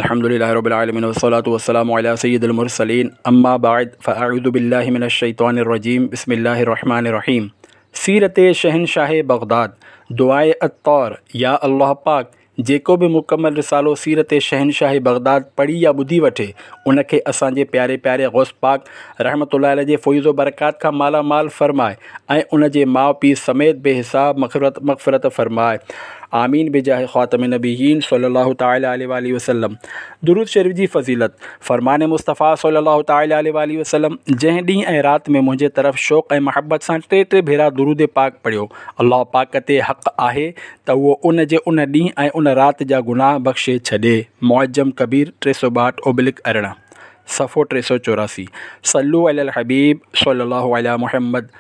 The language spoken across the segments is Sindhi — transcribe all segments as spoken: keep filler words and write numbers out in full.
الحمد لله رب العالمين والصلاة والسلام على سيد المرسلين اما بعد فاعوذ بالله من الشيطان الرجيم بسم الله الرحمن الرحيم سيرت شهنشاهه بغداد دعاء عطار يا الله پاڪ جيڪو به مڪمل رسالو سيرت شهنشاهه بغداد پڙهي يا ٻڌي وٺي ان کي اسان جي پياري پياري غوث پاڪ رحمة الله عليه جي فيوض و برڪات کان مالا مال فرمائي ۽ ان جي ماء پيء سميت بي حساب مغفرت مغفرت فرمائي آمين بجاه خاتم النبيين صلي الله تعالٰي عليه واٰله وسلم درود شريف جي فضيلت فرمان مصطفيٰ صلي الله تعالٰي عليه واٰله وسلم جنهن ڏينهن ۽ رات ۾ منهنجي طرف شوق ۽ محبت سان ٽي ٽي ڀيرا درود پاڪ پڙهيو الله پاڪ تي حق آهي ته اهو ان جي ان ڏينهن ۽ ان رات جا گناهه بخشي ڇڏي معجم ڪبير ٽي سؤ ٻاهٺ اوبلڪ ارڙهن صفحو ٽي سؤ چوراسي صلو علی الحبيب صلي الله علي محمد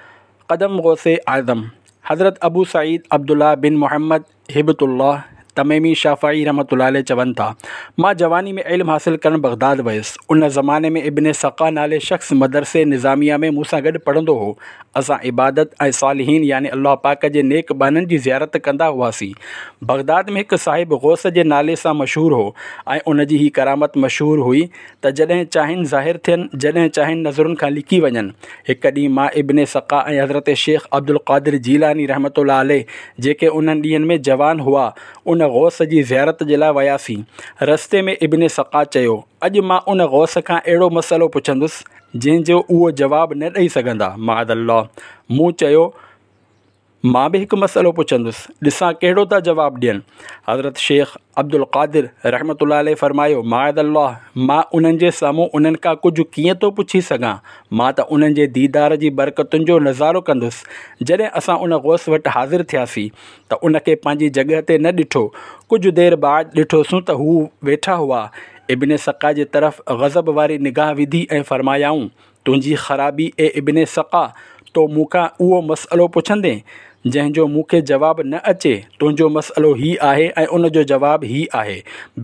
قدم غوث اعظم حضرت ابو سعيد عبدالله بن محمد هبة الله تميمي شافعي رحمة الله عليه چون ٿا، مان جواني ۾ علم حاصل ڪرڻ بغداد ويس. ان زماني ۾ ابن سقا نالي شخص مدرسي نظاميه ۾ مون سان گڏ پڙهندو هو. اسان عبادت ۽ صالحين يعني الله پاڪ جي نيڪ ٻانهن جي زيارت ڪندا هئاسين. بغداد ۾ هڪ صاحب غوث جي نالي سان مشهور هو ۽ ان جي هي ڪرامت مشهور هئي ته جڏهن چاهين ظاهر ٿين، جڏهن چاهين نظرن کان لڪي وڃن. هڪ ڏينهن مان ابن سقا ۽ حضرت شيخ عبدالقادر جيلاني رحمة الله عليه، جيڪي انهن ڏينهن ۾ جوان هئا، ان غوث جي زيارت جي لاء وياسين. رستي ۾ ابن سقا چيو، اڄ مان ان غوث کان اهڙو مسئلو پڇندس، جنهن جو اهو جواب نه ڏئي سگهندا. معاذ الله! مون چيو. مان به هڪ مسئلو پڇندس، ڏسان ڪهڙو ٿا جواب ڏين. حضرت شيخ عبدالقادر رحمة الله عليه فرمايو، معاذ الله! مان انهن جي سامهون انهن کان ڪجهه ڪيئن ٿو پڇي سگهان؟ مان ته انهن جي ديدار جي برڪتن جو نظارو ڪندس. جڏهن اسان ان غوث وٽ حاضر ٿياسين ته ان کي پنهنجي جڳهه تي نه ڏٺو. ڪجهه دير بعد ڏٺوسون ته هو ويٺا هئا. ابن سقا جي طرف غضب واري نگاهه وڌي ۽ فرمايائون، تنهنجي خرابي اي ابن سقا! تو مون کان اهو مسئلو پڇندين، جنهن جو مون کي جواب نه اچي، تنهنجو مسئلو هي آهي ۽ ان جو جواب هي آهي،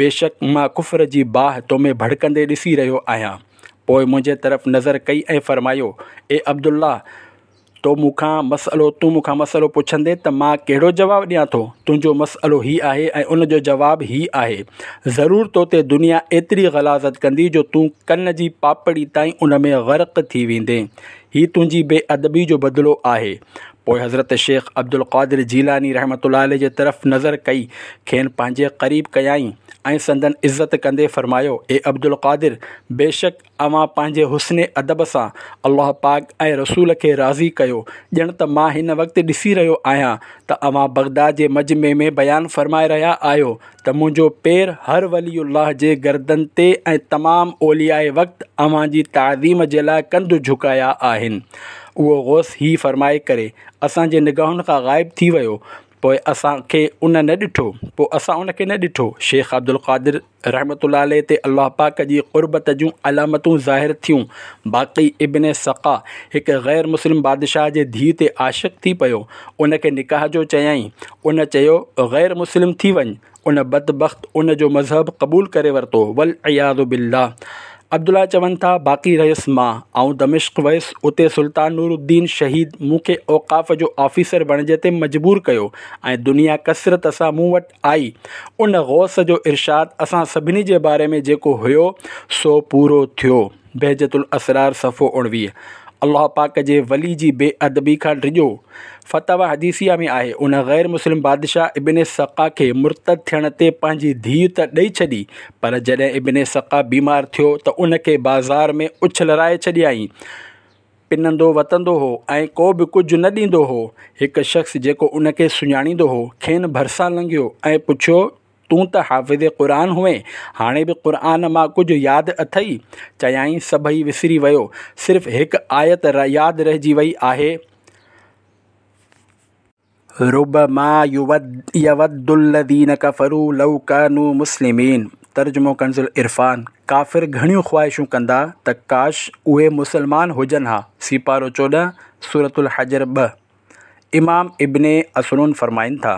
بيشڪ مان ڪفر جي باهه تو ۾ ڀڙڪندي ڏسي رهيو آهيان. پوء منهنجي طرف نظر ڪئي ۽ فرمايو، اي عبدالله! تو مون کان مسئلو تون مون کان مسئلو پڇندين ته مان ڪهڙو جواب ڏيان ٿو؟ تنهنجو مسئلو هي آهي ۽ ان جو جواب هي آهي. ضرور تو تي دنيا ايتري غلاظت ڪندي جو تون ڪن جي پاپڙي تائين ان ۾ غرق ٿي ويندين. هي تنهنجي بي ادبي جو بدلو آهي. پوء حضرت شيخ عبدالقادر جيلاني رحمة الله عليه جي طرف نظر ڪئي، کين پنهنجي قريب ڪيائين ۽ سندن عزت ڪندي فرمايو، اي عبدالقادر! بيشڪ اوهان پنهنجي حسن ادب سان الله پاڪ ۽ رسول کي راضي ڪيو، ڄڻ ته مان هن وقت ڏسي رهيو آهيان ته اوهان بغداد جي مجمع ۾ بيان فرمائي رهيا آهيو ته منهنجو پير هر ولي الله جي گردن تي ۽ تمام اولياء وقت اوهان جي تعظيم جي لاء ڪنڌ جهڪايا آهن. اهو غوث هي فرمائي ڪري اسان جي نگاهن کان غائب ٿي ويو پوء اسان کي ان نه ڏٺو پوء اسان ان کي نه ڏٺو. شيخ عبدالقادر رحمة الله عليه تي الله پاڪ جي قربت جون علامتون ظاهر ٿيون. باقي ابن سقا هڪ غير مسلم بادشاهه جي ڌيء تي عاشق ٿي پيو. ان کي نڪاح جو چيائين. ان چيو غير مسلم ٿي وڃ. ان بدبخت ان جو مذهب قبول ڪري ورتو. والعياذ بالله. عبدالله چون ٿا، باقي رهيس مان. آئون دمشق ويس، اتي سلطان نور الدين شهيد مون کي اوقاف جو آفيسر بڻجڻ تي مجبور ڪيو ۽ دنيا ڪثرت سان مون وٽ آئي. ان غوث جو ارشاد اسان سڀني جي باري ۾ جيڪو هيو سو پورو ٿيو. بهجت الاسرار صفحو اڻويهه. الله پاڪ جي ولي جي بي ادبي کان ڊڄو. فتاويٰ حديثيه ۾ آهي، ان غير مسلم بادشاهه ابن سقا کي مرتد ٿيڻ تي پنهنجي ڌيء ته ڏئي ڇڏي، پر جڏهن ابن سقا بيمار ٿيو ته ان کي بازار ۾ اڇلرائي ڇڏيائين. پنندو وتندو هو ۽ ڪو به ڪجهه نه ڏيندو هو. هڪ شخص جيڪو ان کي سڃاڻيندو هو، کين ڀرسان لنگهيو ۽ پڇيو، تون ته حافظ قرآن هئين، هاڻي به قرآن مان ڪجهه ياد اٿئي؟ چيائين، سڀئي وسري ويو، صرف هڪ آيت ياد رهجي وئي آهي. ربما يود الذين ڪفروا لو ڪانوا مسلمين ترجمو ڪنز العرفان، ڪافر گهڻيون خواهشون ڪندا ته ڪاش اهي مسلمان هجن ها سيپارو چوڏهن، سورة الحجر ٻه. امام ابن اسنون فرمائن ٿا.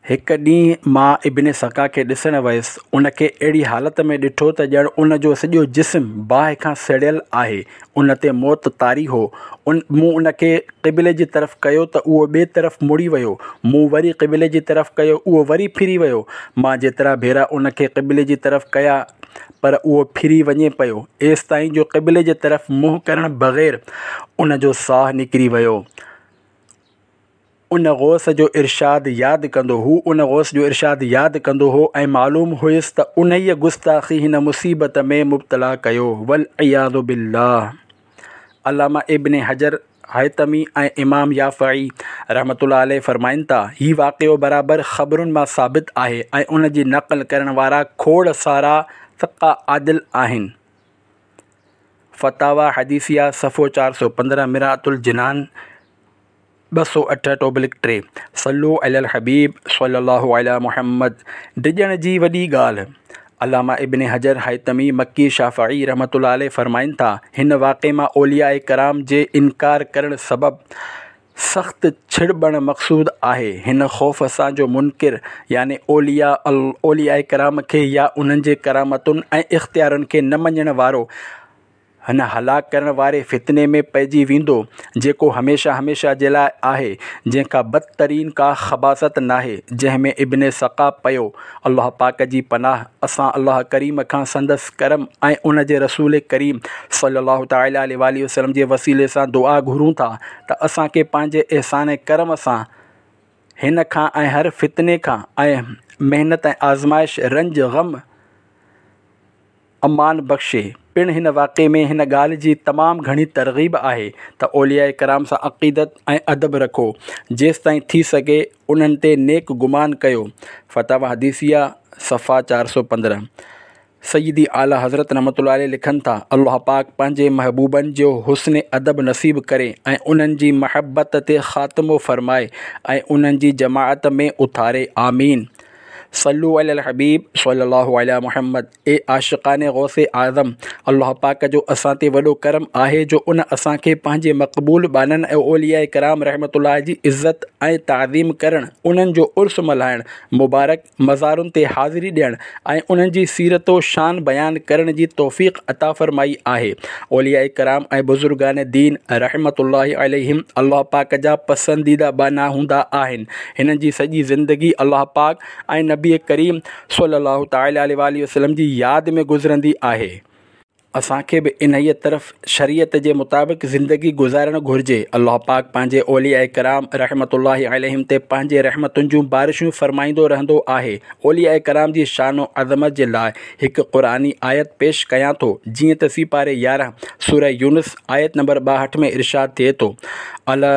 هڪ ڏينهن مان ابن سقا کي ڏسڻ ويس، ان کي اهڙي حالت ۾ ڏٺو ته ڄڻ ان جو سڄو جسم باهه کان سڙيل آهي، ان تي موت طاري هو. ان مون ان کي قبلي جي طرف ڪيو ته اهو ٻئي طرف مڙي ويو. مون وري قبلي جي طرف ڪيو، اهو وري ڦري ويو. مان جيترا ڀيرا ان کي قبلي جي طرف ڪيا، پر اهو ڦري وڃي پيو، ايستائين جو قبلي جي طرف منهن ڪرڻ بغير ان جو ساهه نڪري ويو. ان غوث جو ارشاد ياد ڪندو هو ان غوث جو ارشاد ياد ڪندو هو ۽ معلوم هيس ته انهيء گستاخي هن مصيبت ۾ مبتلا ڪيو، والعياذ بالله. علامه ابن حجر هيثمي ۽ امام يافعي رحمة الله عليه فرمائن ٿا، هي واقعو برابر خبرن مان ثابت آهي ۽ ان جي نقل ڪرڻ وارا کوڙ سارا ثقه عادل آهن. فتاويٰ حديثيه صفحو چار سؤ پندرهن، مرآة الجنان ٻه سؤ اٺهٺ اوبلڪ ٽي. صلو علی الحبيب صلي الله علی محمد. ڊڄڻ جي وڏي ڳالهه. علامه ابن حجر هيثمي مڪي شافعي رحمة الله عليه فرمائن ٿا، هن واقعي مان اولياء ڪرام جي انڪار ڪرڻ سبب سخت ڇڙٻڻ مقصود آهي، هن خوف سان جو منڪر يعني اولياء اولياء ڪرام کي يا انهن جي ڪرامتن ۽ اختيارن کي نه مڃڻ وارو هن هلاڪ ڪرڻ واري فتني ۾ پئجي ويندو، جيڪو هميشه هميشه جي لاء آهي، جنهن کان بدترين ڪا خباثت ناهي، جنهن ۾ ابن سقا پيو. الله پاڪ جي پناهه، اسان الله ڪريم کان سندس ڪرم ۽ ان جي رسول ڪريم صلي الله تعالٰي عليه واٰله وسلم جي وسيلي سان دعا گهرون ٿا ته اسان کي پنهنجي احسان ۽ ڪرم سان هن کان ۽ هر فتني کان ۽ محنت ۽ آزمائش، رنج، غم، امان بخشي. پڻ هن واقعي ۾ هن ڳالهه جي تمام گهڻي ترغيب آهي ته اولياء ڪرام سان عقيدت ۽ ادب رکو، جيستائين ٿي سگهي انهن تي نيڪ گمان ڪيو. فتاويٰ حديثيه صفحه چار سؤ پندرهن. سيدي اعليٰ حضرت رحمة الله عليه لکن ٿا، الله پاڪ پنهنجي محبوبن جو حسن ادب نصيب ڪري ۽ انهن جي محبت تي خاتمو فرمائي ۽ انهن جي جماعت ۾ اٿاري. آمين. صلو علی الحبيب صلي الله علی محمد. اي عاشقان غوث اعظم! الله پاڪ جو اسان تي وڏو ڪرم آهي جو ان اسان کي پنهنجي مقبول ٻانهن ۽ اولياء ڪرام رحمة الله جي عزت ۽ تعظيم ڪرڻ، انهن جو عرس ملهائڻ، مبارڪ مزارن تي حاضري ڏيڻ ۽ انهن جي سيرت و شان بيان ڪرڻ جي توفيق عطا فرمائي آهي. اولياء ڪرام ۽ بزرگان دين رحمة الله عليهم الله پاڪ جا پسنديده ٻانها هوندا آهن. هنن جي سڄي زندگي الله پاڪ ۽ نبي ڪريم صلي الله تعالٰي عليه واٰله وسلم جي ياد ۾ گذرندي آهي. اسان کي به انهيء طرف شريعت جي مطابق زندگي گذارڻ گهرجي. الله پاڪ پنهنجي اولياء ڪرام رحمة الله عليهم تي پنهنجي رحمتن جون بارشون فرمائيندو رهندو آهي. اولياء ڪرام جي شان و عظمت جي لاء هڪ قرآني آيت پيش ڪيان ٿو، جيئن ته سيپاري يارهن، سوره يونس، آيت نمبر ٻاهٺ ۾ ارشاد ٿئي ٿو، الا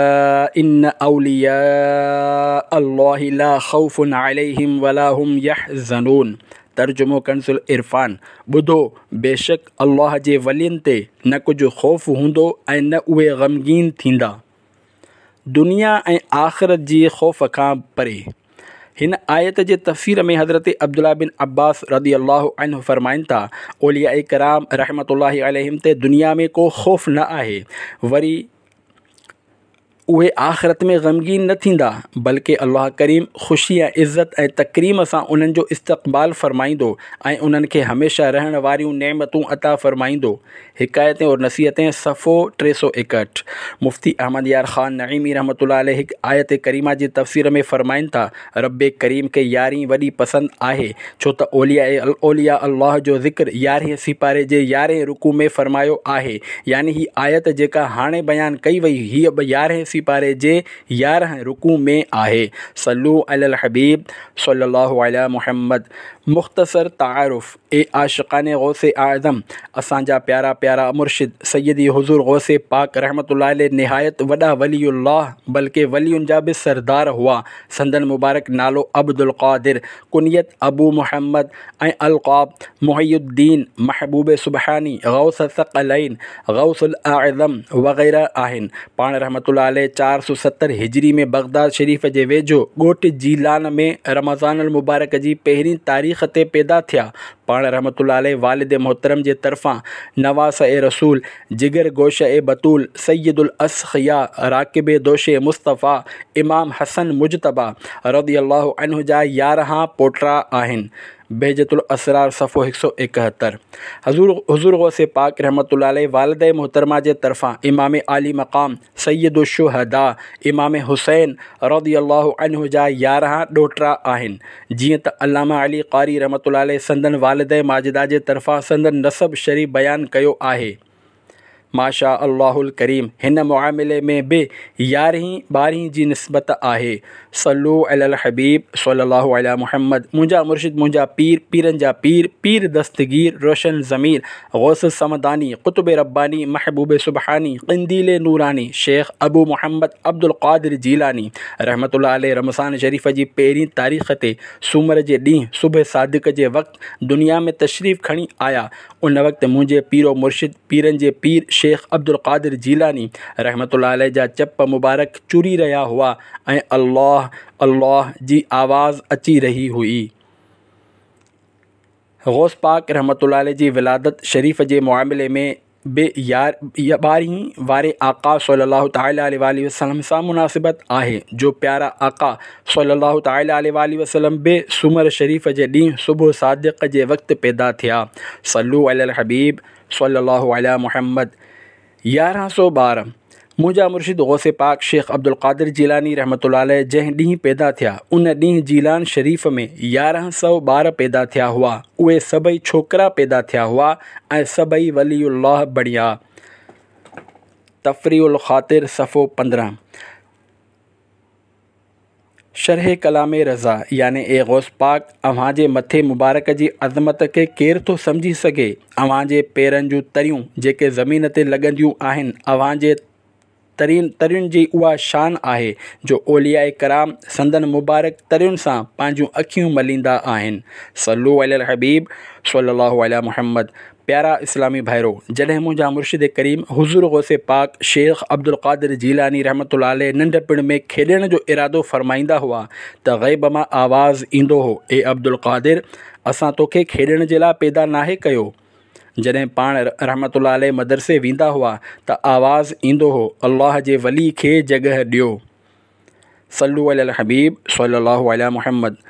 ان اولياء الله لا خوف عليهم ولا هم يحزنون ترجمو ڪنز العرفان، ٻڌو، بيشڪ الله جي ولين تي نه ڪجهه خوف هوندو ۽ نه اهي غمگين ٿيندا. دنيا ۽ آخرت جي خوف کان پري. هن آيت جي تفسير ۾ حضرت عبدالله بن عباس رضي الله عنه فرمائن ٿا، اولياء ڪرام رحمة الله عليهم تي دنيا ۾ ڪو خوف نه آهي، وري اهي آخرت ۾ غمگين نه ٿيندا، بلڪه الله ڪريم خوشي ۽ عزت ۽ تڪريم سان انهن جو استقبال فرمائيندو ۽ انهن کي هميشه رهڻ واريون نعمتون عطا فرمائيندو. حڪايتين اور نصيحتين صفحو ٽي سؤ ايڪهٺ. مفتي احمد يار خان نعيمي رحمة الله عليه هڪ آيت ڪريمه جي تفسير ۾ فرمائن ٿا، رب ڪريم کي يارهين وڏي پسند آهي، ڇو ته اولياء اولياء الله جو ذڪر يارهين سيپاري جي يارهين رڪوع ۾ فرمايو آهي، يعني هي آيت جيڪا هاڻي بيان ڪئي وئي هيء به يارهين سيپاري جي يارهن رڪوع ۾ آهي. صلو علي الحبيب صلي الله علي محمد. مختصر تعارف. اي عاشقان غوث اعظم! اسان جا پيارا پيارا مرشد سيدي حضور غوث پاڪ رحمة الله عليه نهايت وڏا ولي الله بلڪه ولين جا به سردار هئا. سندن مبارڪ نالو عبدالقادر، ڪنيت ابو محمد ۽ القاب محي الدين، محبوب سبحاني، غوث الثقلين، غوث الاعظم وغيره آهن. پاڻ رحمة الله عليه چار سؤ ستر هجري ۾ بغداد شريف جي ويجهو ڳوٺ جيلان ۾ رمضان المبارڪ جي پهرين تاريخ تي پيدا ٿيا. پاڻ رحمة الله عليه والد محترم جي طرفان نواسه رسول، جگر گوشه بتول، سيد الاصفياء، راڪب دوش مصطفيٰ، امام حسن مجتبيٰ رضي الله عنه جا يارهن پوٽا آهن. بهجت الاسرار صفحو هڪ سؤ ايڪهتر. حضور حضور غوث پاڪ رحمة الله عليه والده محترمه جي طرفان امام عالي مقام سيد الشهداء امام حسين رضي الله عنه جا يارهن ڏوهٽا آهن. جيئن ته علامه علي قاري رحمة الله عليه سندن والده ماجده جي طرفان سندن نسب شريف بيان ڪيو آهي. ماشاء الله الڪريم هن معاملي ۾ به يارهين ٻارهين جي نسبت آهي. صلو علی الحبيب صلي الله علي محمد. منهنجا مرشد منهنجا پير پيرن جا پير پير دستگير روشن ضمير غوث الصمداني قطب رباني محبوب سبحاني قنديل نوراني شيخ ابو محمد عبد القادر جيلاني رحمة الله عليه رمضان شريف جي پهرين تاريخ تي سومر جي ڏينهن صبح صادق جي وقت دنيا ۾ تشريف کڻي آيا. ان وقت منهنجي پير و مرشد پيرن جي پير شيخ عبد القادر جيلاني رحمة الله عليه جا چپ مبارڪ چري رهيا هئا ۽ الله الله جي آواز اچي رهي هئي. غوث پاڪ رحمة الله عليه جي ولادت شريف جي معاملي ۾ به ٻارهين واري آقا صلي الله تعالٰي عليه واٰله وسلم سان مناسبت آهي، جو پيارا آقا صلي الله تعالٰي عليه واٰله وسلم به سومر شريف جي ڏينهن صبح صادق جي وقت پيدا ٿيا. صلو علي الحبيب صلي الله علي محمد. يارهن سؤ ٻارهن منهنجا مرشد غوث پاڪ شيخ عبدالقادر جيلاني رحمة الله عليه جنهن ڏينهن پيدا ٿيا ان ڏينهن جيلان شريف ۾ يارهن سؤ ٻار پيدا ٿيا هئا. اهي سڀئي ڇوڪرا پيدا ٿيا هئا ۽ سڀئي ولي الله بڻيا. تفريح الخاطر صفحو پندرهن. شرح ڪلام رضا يعني اي غوث پاڪ اوهان جي مٿي مبارڪ جي عظمت کي ڪير ٿو سمجهي سگهي؟ اوهان جي پيرن جون تريون جيڪي زمين تي لڳنديون آهن، اوهان جي ترين ترين جي اها شان آهي جو اولياء ڪرام سندن مبارڪ ترين سان پنهنجون اکيون مليندا آهن. صلو علي الحبيب صلي الله علي محمد. پيارا اسلامي ڀائرو، جڏهن منهنجا مرشد ڪريم حضور غوث پاڪ شيخ عبدالقادر جيلاني رحمة الله عليه ننڍپڻ ۾ کيڏڻ جو ارادو فرمائيندا هئا ته غيب مان آواز ايندو هو، اي عبدالقادر اسان توکي کيڏڻ جي لاء پيدا ناهي ڪيو. جڏهن پاڻ رحمة الله عليه مدرسي ويندا هئا ته آواز ايندو هو، الله جي ولي کي جڳهه ڏيو. صلو علي الحبيب صلي الله علي محمد.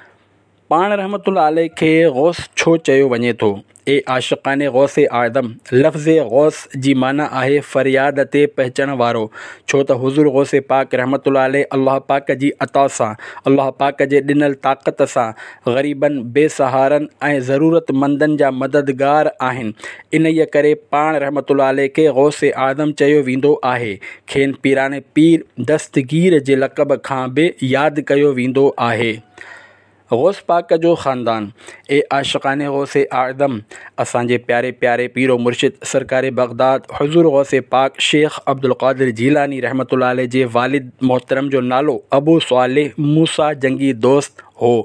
پاڻ رحمة الله عليه کي غوث ڇو چيو وڃي ٿو؟ اي عاشقان غوث اعظم، لفظ غوث جي معنيٰ آهي فرياد تي پهچڻ وارو، ڇو ته حضور غوث پاڪ رحمة الله عليه الله پاڪ جي عطا سان، الله پاڪ جي ڏنل طاقت سان غريبن، بي سهارن ۽ ضرورتمندن جا مددگار آهن، انهيء ڪري پاڻ رحمة الله عليه کي غوث اعظم چيو ويندو آهي. کين پيران پير دستگير جي لقب کان به ياد ڪيو ويندو آهي. غوث پاڪ جو خاندان، اي عاشقان غوث اعظم، اسان جي پياري پياري پير و مرشد سرڪار بغداد حضور غوث پاڪ شيخ عبدالقادر جيلاني رحمة الله عليه جي والد محترم جو نالو ابو صالح موسيٰ جنگي دوست هو.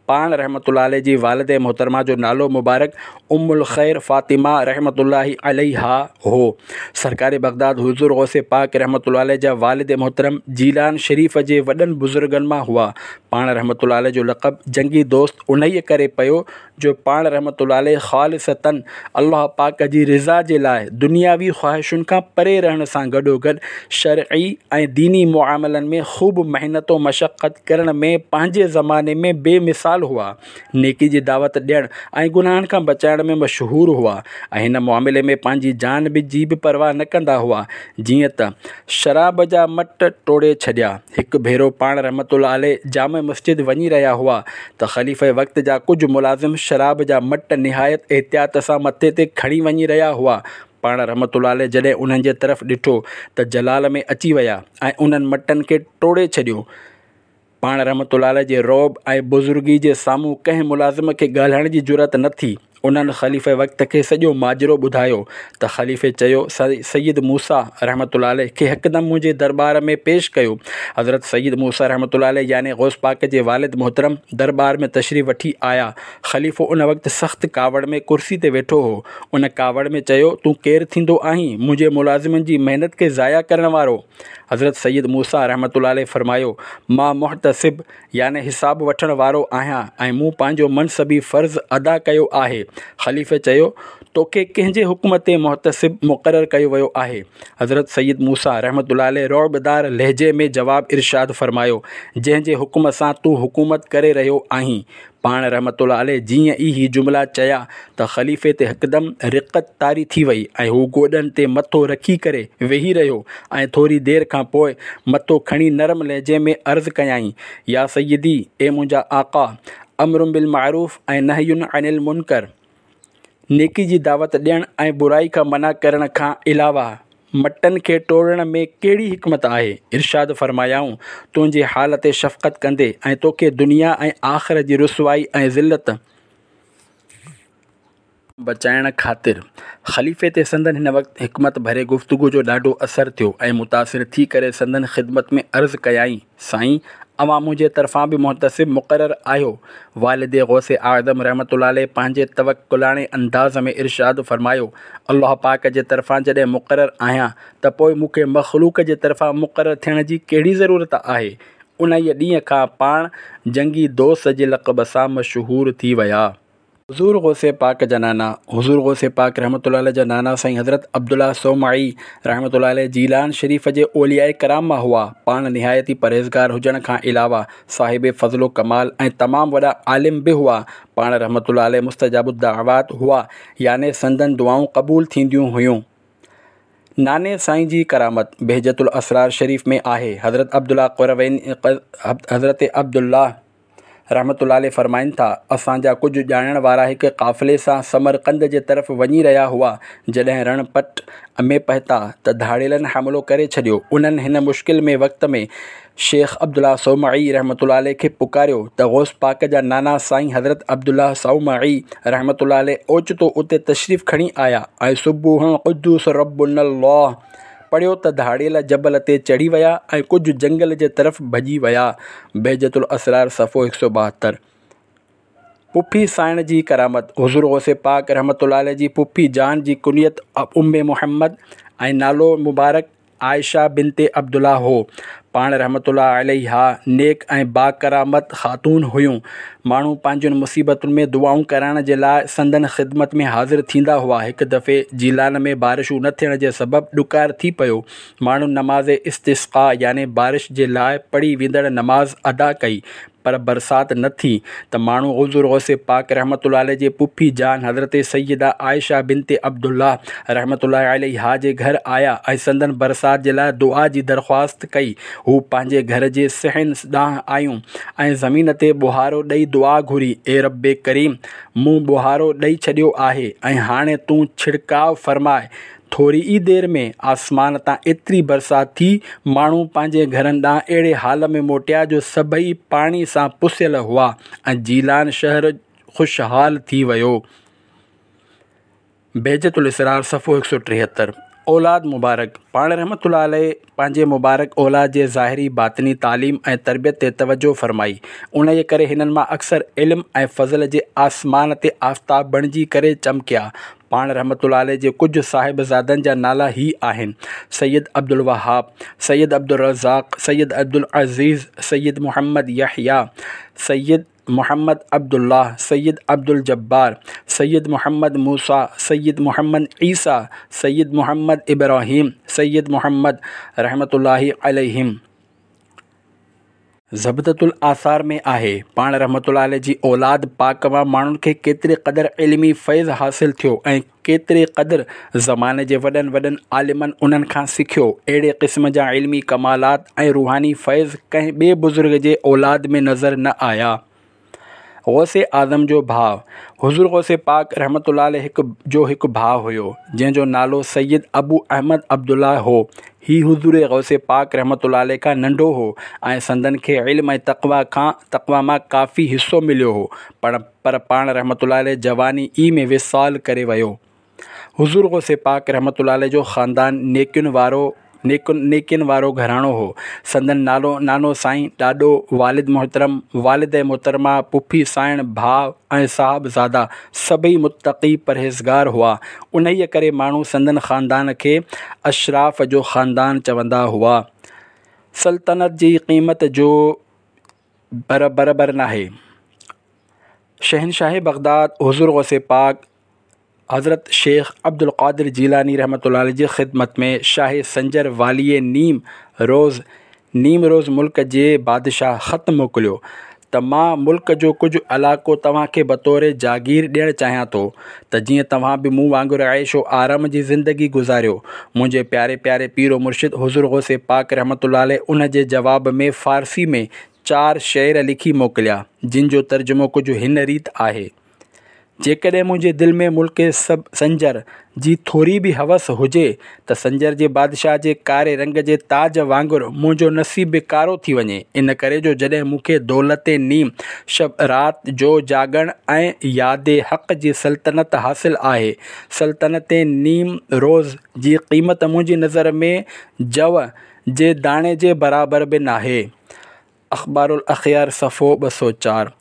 پاڻ رحمة الله عليه جي والده محترمه جو نالو مبارڪ ام الخير فاطمه رحمة الله عليها هو. سرڪار بغداد حضور غوث پاڪ رحمة الله عليه جا والد محترم جيلان شريف جي وڏن بزرگن مان هئا. پاڻ رحمة الله عليه جو لقب جنگي دوست انهيء ڪري پيو جو پاڻ رحمة الله عليه خالصتاً الله پاڪ جي رضا جي لاء دنياوي خواهشن کان پري رهڻ سان گڏوگڏ شرعي ۽ ديني معاملن ۾ خوب محنت و مشقت ڪرڻ ۾ پنهنجي زماني ۾ بي مثال هئا. نيڪي جي دعوت ڏيڻ ۽ گناهن کان بچائڻ ۾ مشهور هئا ۽ هن معاملي ۾ پنهنجي جان به جي به پرواهه نه ڪندا هئا. جيئن ته شراب جا مٽ ٽوڙي ڇڏيا. هڪ ڀيرو پاڻ رحمة الله عليه جامع مسجد وڃي رهيا هئا ته خليفه وقت جا ڪجهه ملازم شراب جا مٽ نهايت احتياط سان مٿي تي کڻي وڃي رهيا هئا. پاڻ رحمة الله عليه جڏهن انهن جي طرف ڏٺو ته جلال ۾ اچي ويا ۽ انهن مٽن کي ٽوڙي ڇڏيو. پاڻ رحمة الله عليه جي رعب ۽ بزرگي جي سامهون ڪنهن ملازم کي ڳالهائڻ جي جرئت نه ٿي. انهن خليفه وقت کي سڄو ماجرو ٻڌايو ته خليفي چيو، سيد موسيٰ رحمة الله عليه کي هڪدم منهنجي درٻار ۾ پيش ڪيو. حضرت سيد موسيٰ رحمة الله عليه يعني غوث پاڪ جي والد محترم درٻار ۾ تشريف وٺي آيا. خليفو ان وقت سخت ڪاوڙ ۾ ڪرسي تي ويٺو هو. ان ڪاوڙ ۾ چيو، تون ڪير ٿيندو آهين منهنجي ملازمن جي محنت کي ضايع ڪرڻ وارو؟ حضرت سيد موسيٰ رحمة الله عليه فرمايو، مان محتسب يعني حساب وٺڻ وارو آهيان ۽ مون پنهنجو منصبي فرض ادا ڪيو آهي. خليفي چيو، توکي ڪنهن جي حڪم تي محتسب مقرر ڪيو ويو آهي؟ حضرت سيد موسيٰ رحمة الله عليه رعبدار لهجي ۾ جواب ارشاد فرمايو، جنهن جي حڪم سان تون حڪومت ڪري رهيو آهين. پاڻ رحمة الله عليه جيئن ئي هي جملا چيا ته خليفي تي هڪدم رقت طاري ٿي وئي ۽ هو گوڏن تي مٿو رکي ڪري ويهي رهيو ۽ ٿوري دير کان پوء مٿو کڻي نرم لهجي ۾ عرض ڪيائين، يا سيدي، اي منهنجا آقا، امر بالمعروف ۽ نهي عن المنڪر، نيڪي جي دعوت ڏيڻ ۽ برائي کان منع ڪرڻ کان علاوه مٽن کي ٽوڙڻ ۾ ڪهڙي حڪمت آهي؟ ارشاد فرمايائون، تنهنجي حال تي شفقت ڪندي ۽ توکي دنيا ۽ آخرت جي رسوائي ۽ ذلت بچائڻ خاطر. خليفي تي سندن هن وقت حڪمت ڀري گفتگو جو ڏاڍو اثر ٿيو ۽ متاثر ٿي ڪري سندن خدمت ۾ عرض ڪيائين، سائين! اوهان منهنجي طرفان به محتسب مقرر آهيو. والد غوث اعظم رحمة الله عليه پنهنجي توڪلاڻي انداز ۾ ارشاد فرمايو، الله پاڪ جي طرفان جڏهن مقرر آهيان ته پوء مون کي مخلوق جي طرفان مقرر ٿيڻ جي ڪهڙي ضرورت آهي؟ انهيء ڏينهن کان پاڻ جنگي دوست جي لقب سان مشهور ٿي ويا. حضور غوث پاڪ جا نانا، حضور غوث پاڪ رحمة الله عليه جا نانا سائين حضرت عبدالله صومعي رحمة الله عليه جيلان شريف جي اولياء ڪرام مان هئا. پاڻ نهايت ئي پرهيزگار هجڻ کان علاوه صاحب فضل و ڪمال ۽ تمام وڏا عالم به هئا. پاڻ رحمة الله عليه مستجاب الدعوات هئا يعني سندن دعائون قبول ٿينديون هيون. ناني سائين جي ڪرامت بهجت الاسرار شريف ۾ آهي. حضرت عبدالله قروين حضرت عبدالله رحمة الله عليه فرمائن ٿا، اسان جا ڪجهه ڄاڻڻ وارا هڪ قافلي سان سمرقند جي طرف وڃي رهيا هئا، جڏهن رڻ پٽ ۾ پهتا ته ڌاڙيلن حملو ڪري ڇڏيو، انهن هن مشڪل ۾ وقت ۾ شيخ عبدالله صومعي رحمة الله عليه کي پڪاريو ته غوث پاڪ جا نانا سائين حضرت عبدالله صومعي رحمة الله عليه اوچتو اتي تشريف کڻي آيا ۽ سبوح قدوس ربنا الله پڙهيو ته ڌاڙيل جبل تي چڙهي ويا ۽ ڪجهه جنگل جي طرف ڀڄي ويا. بهجت الاسرار صفحو هڪ سؤ ٻاهتر. پڦي سائڻ جي ڪرامت، حضور غوث پاڪ رحمة الله عليه جي پڦي جان جي ڪنيت ام محمد ۽ نالو مبارڪ عائشه بنت عبدالله هو. پاڻ رحمة الله عليها نيڪ ۽ باڪرامت خاتون هيون. ماڻهو پنهنجين مصيبتن ۾ دعائون ڪرائڻ جي لاء سندن خدمت ۾ حاضر ٿيندا هئا. هڪ دفعي جيلان ۾ بارشون نه ٿيڻ جي سبب ڏڪار ٿي پيو. ماڻهن نماز استسقاء يعني بارش جي لاء پڙهي ويندڙ نماز ادا ڪئي پر برسات نه ٿي ته ماڻهو حضور غوث پاڪ رحمة الله عليه جي پڦي جان حضرت سيده عائشه بنت عبدالله رحمة الله عليها جي گهر آيا ۽ سندن برسات جي لاء دعا جي درخواست ڪئي. هو پنهنجي گهر جي صحن ڏانهن آيون ۽ زمين تي ٻوهارو ڏئي دعا گهري، اي رب ڪريم! مون ٻوهارو ڏئي ڇڏيو آهي ۽ هاڻي تون ڇڙڪاء فرماء. ٿوري ئي دير ۾ آسمان تان ايتري برسات ٿي، ماڻهو پنهنجي گهرن ڏانهن اهڙي حال ۾ موٽيا جو سڀئي پاڻي سان پسيل هئا ۽ جيلان شهر خوشحال ٿي ويو. بهجت الاسرار صفحو هڪ سؤ ٽيهتر. اولاد مبارڪ، پاڻ رحمة الله عليه پنهنجي مبارڪ اولاد جي ظاهري باطني تعليم ۽ تربيت تي توجهه فرمائي، انهيء ڪري هنن مان اڪثر علم ۽ فضل جي آسمان تي آفتاب بڻجي ڪري چمڪيا. پاڻ رحمة الله عليه جي ڪجهه صاحبزادن جا نالا هي آهن، سيد عبدالوهاب، سيد عبدالرزاق، سيد عبدالعزيز، سيد محمد يحيٰ، سيد محمد عبدالله، سيد عبدالجبار، سيد محمد موسيٰ، سيد محمد عيسيٰ، سيد محمد ابراهيم، سيد محمد رحمة الله عليهم. زبدة الاثار ۾ آهي، پاڻ رحمة الله عليه جي اولاد پاڪ مان ماڻهن کي ڪيتري قدر علمي فيض حاصل ٿيو ۽ ڪيتري قدر زماني جي وڏن وڏن عالمن انهن کان سکيو، اهڙي قسم جا علمي ڪمالات ۽ روحاني فيض ڪنهن ٻئي بزرگ جي اولاد ۾ نظر نه آيا. غوث اعظم جو ڀاء، حضور غوث پاڪ رحمة الله عليه هڪ جو هڪ ڀاء هيو، جنهن جو نالو سيد ابو احمد عبدالله هو. هي حضور غوث پاڪ رحمة الله عليه کان ننڍو هو ۽ سندن کي علم ۽ تقويٰ کان تقويٰ مان ڪافي حصو مليو هو، پر پر پاڻ رحمة الله عليه جواني ئي ۾ وصال ڪري ويو. حضور غوث پاڪ رحمة الله عليه جو خاندان نيڪين وارو نيڪين وارو گهراڻو هو. سندن نالو نانو سائين، ڏاڏو، والد محترم، والده محترمه، پڦي سائڻ، ڀاء ۽ صاحبزادا سڀئي متقي پرهيزگار هئا. انهيء ڪري ماڻهو سندن خاندان کي اشراف جو خاندان چوندا هئا. سلطنت جي قيمت جو برابر ناهي. شهنشاهه بغداد حضور غوث پاڪ حضرت شيخ عبدالقادر جيلاني رحمة الله عليه جي خدمت ۾ شاهه سنجر واليء نيم روز نيم روز ملڪ جي بادشاهه خط موڪليو ته مان ملڪ جو ڪجهه علائقو توهان کي بطور جاگير ڏيڻ چاهيان ٿو ته جيئن توهان به مون وانگر عيش و آرام جي زندگي گذاريو. منهنجي پياري پياري پير و مرشد حضور غوث پاڪ رحمة الله عليه ان جي جواب ۾ فارسي ۾ چار شعر لکي موڪليا، جن جو ترجمو ڪجهه هن ريت آهي. جيڪڏهن منهنجي دل ۾ ملڪ سنجر جي ٿوري به هوس هجي ته سنجر جي بادشاهه جي ڪاري رنگ جي تاج وانگر منهنجو نصيب به ڪارو ٿي وڃي، ان ڪري جو جڏهن مون کي دولت نيم شب رات جو جاڳڻ ۽ ياد حق جي سلطنت حاصل آهي، سلطنت نيم روز جي قيمت منهنجي نظر ۾ جو جي داڻي جي برابر به ناهي. اخبار الاخيار صفحو ٻه سؤ چار.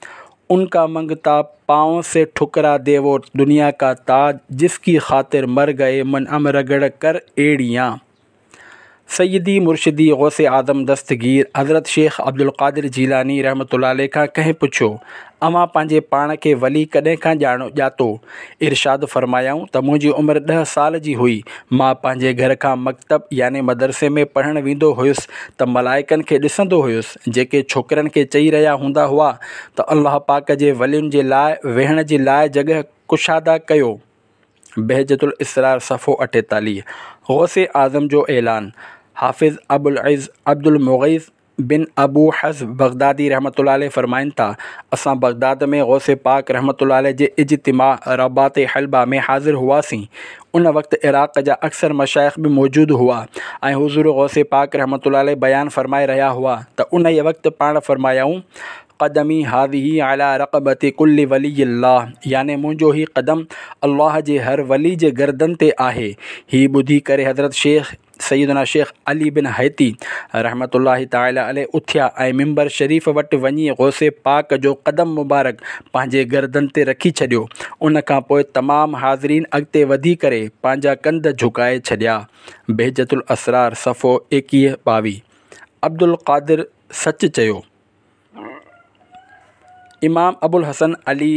ان کا منگتا پاؤں سے ٺڪرا دے وہ دنیا کا تاج جس کی خاطر مر گئے منعم رگڑ کر ایڑیاں۔ سيدي مرشدي غوث اعظم دستگير حضرت شيخ عبدالقادر جيلاني رحمة الله عليه کان ڪنهن پڇيو، اوهان پنهنجي پاڻ کي ولي ڪڏهن کان ڄاڻو ڄاتو؟ ارشاد فرمايائون ته منهنجي عمر ڏهه سال جي هئي، مان پنهنجي گهر کان مڪتب يعني مدرسي ۾ پڙهڻ ويندو هيس ته ملائڪن کي ڏسندو هيس، جيڪي ڇوڪرن کي چئي رهيا هوندا هئا ته الله پاڪ جي ولين جي لاء ويهڻ جي لاء جڳهه ڪشاده ڪيو. بهجة الاسرار صفحو اٺيتاليهه. غوث اعظم جو اعلان، حافظ ابوالعز عبدالمغيث بن ابو حفص بغدادي رحمة الله عليه فرمائن ٿا، اسان بغداد ۾ غوث پاڪ رحمة الله عليه جي اجتماع رباط حلبه ۾ حاضر هئاسين. ان وقت عراق جا اڪثر مشائخ به موجود هئا ۽ حضور غوث پاڪ رحمة الله عليه بيان فرمائي رهيا هئا ته انهيء وقت پاڻ فرمايائون، قدمي هذه علي رقبة ڪل ولي الله يعني منهنجو هي قدم الله جي هر ولي جي گردن تي آهي. هي ٻڌي ڪري حضرت شيخ سيدنا شيخ علي بن حيتي رحمة الله تعالٰي عليه اٿيا ۽ منبر شريف وٽ وڃي غوث پاڪ جو قدم مبارڪ پنهنجي گردن تي رکي ڇڏيو. ان کان پوء تمام حاضرين اڳتي وڌي ڪري پنهنجا ڪنڌ جهڪائي ڇڏيا. بهجة الاسرار صفحو ايڪيهه ٻاويهه. عبدالقادر سچ چيو. امام ابوالحسن علي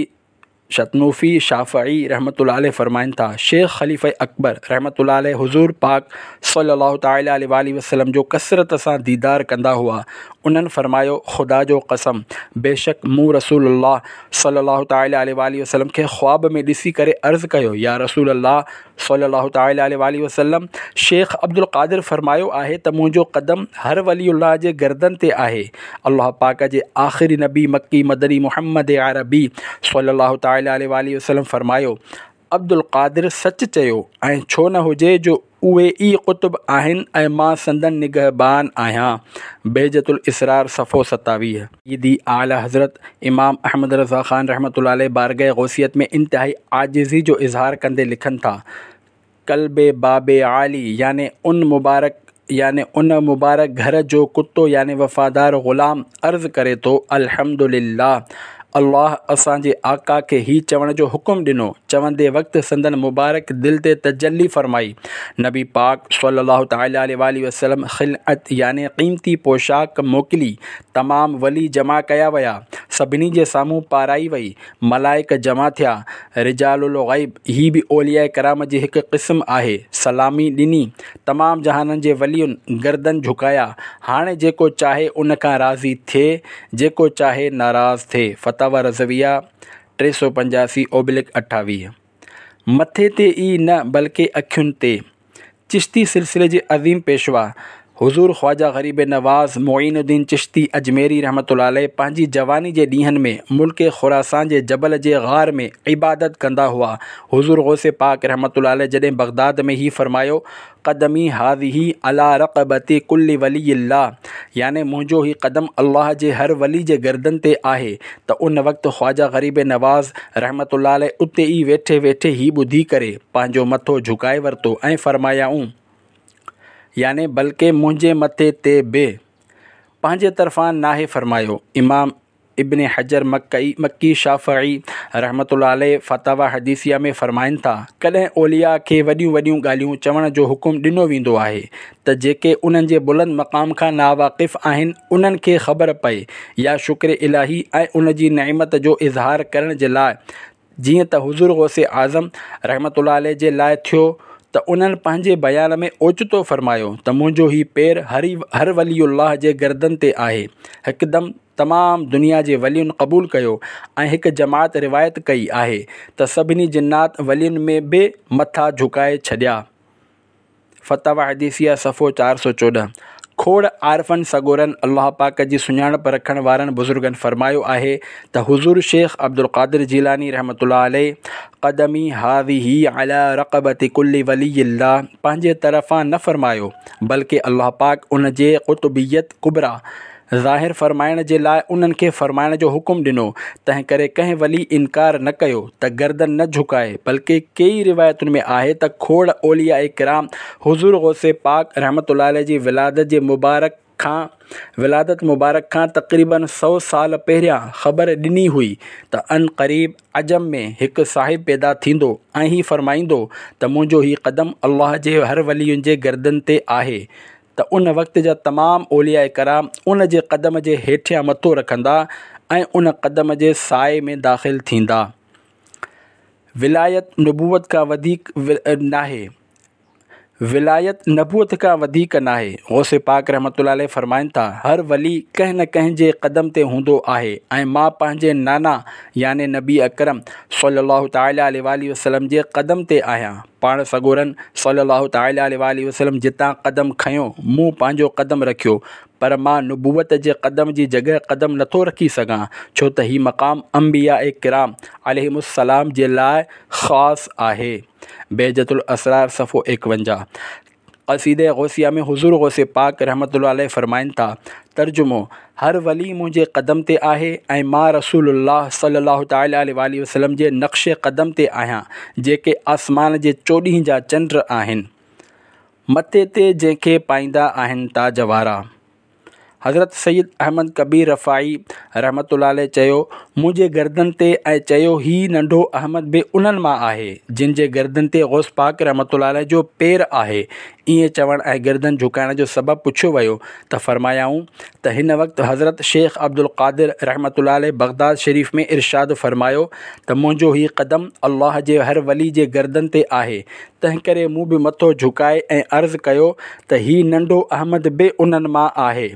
شطنوفي شافعي رحمة الله عليه فرمائن ٿا، شيخ خليفه اڪبر رحمة الله عليه حضور پاڪ صلي الله تعالٰي عليه واٰله وسلم جو ڪثرت سان ديدار ڪندا هئا. انهن فرمايو، خدا جو قسم بيشڪ مون رسول الله صلي الله تعالٰي عليه واٰله وسلم کي خواب ۾ ڏسي ڪري عرض ڪيو، يا رسول الله صلي الله تعالٰي عليه واٰله وسلم شيخ عبدالقادر فرمايو آهي ته منهنجو قدم هر ولي الله جي گردن تي آهي. الله پاڪ جي آخري نبي مڪي مدني محمد عربي صلي الله تعالٰي عليه واٰله وسلم فرمايو، عبدالقادر سچ چيو ۽ ڇو نه هجي جو اهي ئي قطب آهن ۽ مان سندن نگهبان آهيان. بهجة الاسرار صفحو ستاويهه. سيدي اعليٰ حضرت امام احمد رضا خان رحمة الله عليه بارگاهه غوثيت ۾ انتهائي عاجزي جو اظهار ڪندي لکن ٿا، ڪلب باب عالي يعني ان مبارڪ يعني ان مبارڪ گهر جو ڪتو يعني وفادار غلام عرض ڪري ٿو، الحمدلله الله اسان جي آقا کي هي چوڻ جو حڪم ڏنو، چوندي وقت سندن مبارڪ دل تي تجلي فرمائي. نبي پاڪ صلي الله تعالٰي عليه واٰله وسلم خلعت يعني قيمتي پوشاڪ موڪلي، تمام ولي جمع ڪيا ويا، سڀني جي سامهون پارائي وئي، ملائڪ جمع ٿيا، رجال الغيب، هي به اولياء ڪرام جي هڪ قسم آهي، سلامي ڏني، تمام جهانن جي ولين گردن جهڪايا، هاڻي جيڪو چاهي ان کان راضي ٿئي، جيڪو چاهي ناراض ٿئي، فتاويٰ رضويه ٽي سؤ پنجاسي اوبلڪ اٺاويهه. مٿي تي ئي نه بلڪه اکين تي. چشتي سلسلي جي عظيم پيشوا حضور خواجه غريب نواز معين الدين چشتي اجميري رحمة الله عليه پنهنجي جواني جي ڏينهن ۾ ملڪ خراسان جي جبل جي غار ۾ عبادت ڪندا هئا. حضور غوث پاڪ رحمة الله عليه جڏهن بغداد ۾ هي فرمايو، قدمي هذه علي رقبة ڪل ولي الله يعني منهنجو هي قدم الله جي هر ولي جي گردن تي آهي ته ان وقت خواجه غريب نواز رحمة الله عليه اتي ئي ويٺي ويٺي هي ٻڌي ڪري پنهنجو مٿو جهڪائي ورتو ۽ فرمايائون، يعني بلڪه منهنجي مٿي تي به پنهنجي طرفان ناهي فرمايو. امام ابن حجر مڪي مڪي شافعي رحمة الله عليه فتاويٰ حديثيه ۾ فرمائن ٿا، ڪڏهن اولياء کي وڏيون وڏيون ڳالهيون چوڻ جو حڪم ڏنو ويندو آهي ته جيڪي انهن جي بلند مقام کان ناواقف آهن انهن کي خبر پئي يا شڪر الاهي ۽ ان جي نعمت جو اظهار ڪرڻ جي لاء جيئن ته حضور غوث اعظم رحمة الله عليه جي لاء ٿيو ته انهن پنهنجي بيان ۾ اوچتو فرمايو ته منهنجو هي پير هر ولي الله جي گردن تي آهي. هڪدم تمام دنيا جي ولين قبول ڪيو ۽ هڪ جماعت روايت ڪئي آهي ته سڀني جنات ولين ۾ به مٿا جهڪائي ڇڏيا. فتاويٰ حديثيه صفحو چار سؤ چوڏهن. کوڙ عارفن سڳورن الله پاڪ جي سڃاڻپ رکڻ وارن بزرگن فرمايو آهي ته حضور شيخ عبدالقادر جيلاني رحمة الله عليه قدمي هذه علي رقبة ڪل ولي الله پنهنجي طرفان نه فرمايو بلڪه الله پاڪ ان جي قطبيت ڪبريٰ ظاهر فرمائڻ جي لاء انهن کي فرمائڻ جو حڪم ڏنو، تنهن ڪري ڪنهن ولي انڪار نه ڪيو ته گردن نه جهڪائي، بلڪه ڪيئي روايتن ۾ آهي ته کوڙ اولياء ڪرام حضور غوث پاڪ رحمة الله عليه جي ولادت جي مبارڪ کان ولادت مبارڪ کان تقريباً سؤ سال پهريان خبر ڏني هئي ته عنقريب عجم ۾ هڪ صاحب پيدا ٿيندو ۽ هي فرمائيندو ته منهنجو هي قدم الله جي هر ولي جي گردن تي آهي ته ان وقت جا تمام اولياء ڪرام ان جي قدم جي هيٺيان مٿو رکندا ۽ ان قدم جي سائي ۾ داخل ٿيندا. ولايت نبوت کان وڌيڪ ناهي. ولايت نبوت کان وڌيڪ ناهي. غوث پاڪ رحمة الله عليه فرمائن ٿا، هر ولي ڪنهن نه ڪنهن جي قدم تي هوندو آهي ۽ مان پنهنجي نانا يعني نبي اڪرم صلي الله تعالٰي عليه واٰله وسلم جي قدم تي آهيان. پاڻ سڳورن صلي الله تعالٰي عليه واٰله وسلم جتان قدم کنيو مون پنهنجو قدم رکيو، پر مان نبوت جي قدم جي جڳهه قدم نٿو رکي سگهان، ڇو ته هي مقام انبياء ڪرام عليهم السلام جي لاء خاص آهي. بهجت الاسرار صفحو ايڪونجاهه. قصيده غوثيه ۾ حضور غوث پاڪ رحمة الله عليه فرمائن ٿا، ترجمو، هر ولي منهنجي قدم تي آهي ۽ مان رسول الله صلي الله تعالٰي عليه واٰله وسلم جي نقش قدم تي آهيان، جيڪي آسمان جي چوڏهين جا چنڊ آهن، مٿي تي جنهن کي پائيندا آهن تاج وارا. حضرت سيد احمد ڪبير رفاعي رحمة الله عليه چيو، منهنجي گردن تي ۽ چيو هي ننڍو احمد به انهن مان آهي، جن جي گردن تي غوث پاڪ رحمة الله عليه جو پير آهي. ائين چوڻ ۽ گردن جهڪائڻ جو سبب پڇيو ويو ته فرمايائون ته هن وقت حضرت شيخ عبدالقادر رحمة الله عليه بغداد شريف ۾ ارشاد فرمايو ته منهنجو هي قدم الله جي هر ولي جي گردن تي آهي، تنهنڪري مون به مٿو جهڪائي ۽ عرض ڪيو ته هي ننڍو احمد به انهن مان آهي.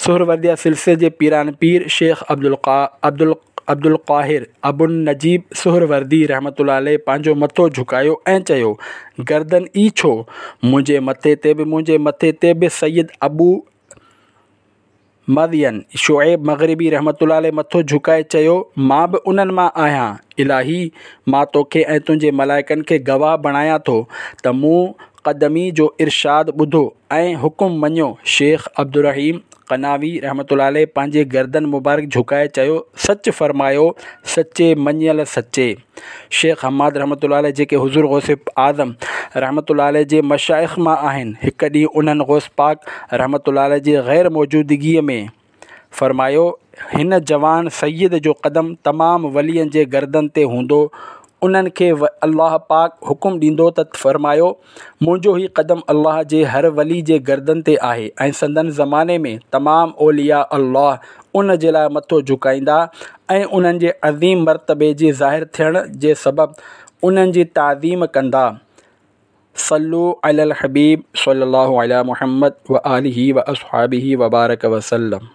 سهرورديه سلسلي جي پيران پير شيخ عبدالقاهر ابوالنجيب سهروردي رحمة الله عليه پنهنجو مٿو جهڪايو ۽ چيو، گردن ئي ڇو، منهنجي مٿي تي به منهنجي مٿي تي به سيد ابو مدين شعيب مغربي رحمة الله عليه مٿو جهڪائي چيو، مان به انهن مان آهيان. الاهي! مان توکي ۽ تنهنجي ملائڪن کي گواهه بڻايان ٿو ته مون قدمي جو ارشاد ٻڌو ۽ حڪم مڃيو. شيخ عبدالرحيم قناوي رحمة الله عليه پنهنجي گردن مبارڪ جهڪائي چيو، سچ فرمايو، سچي مڃيل سچي. شيخ حماد رحمة الله عليه جيڪي حضور غوث اعظم رحمة الله عليه جي مشائخ مان آهن، هڪ ڏينهن انهن غوث پاڪ رحمة الله عليه جي غير موجودگيء ۾ فرمايو، هن جوان سيد جو قدم تمام ولين جي گردن تي هوندو، انهن کي الله پاڪ حڪم ڏيندو ته فرمايو، منهنجو هي قدم الله جي هر ولي جي گردن تي آهي ۽ سندن زماني ۾ تمام اولياء الله ان جي لاء مٿو جهڪائيندا ۽ انهن جي عظيم مرتبي جي ظاهر ٿيڻ جي سبب انهن جي تعظيم ڪندا. صلو علی الحبيب صلي الله علی محمد وآله واصحابه وبارڪ وسلم.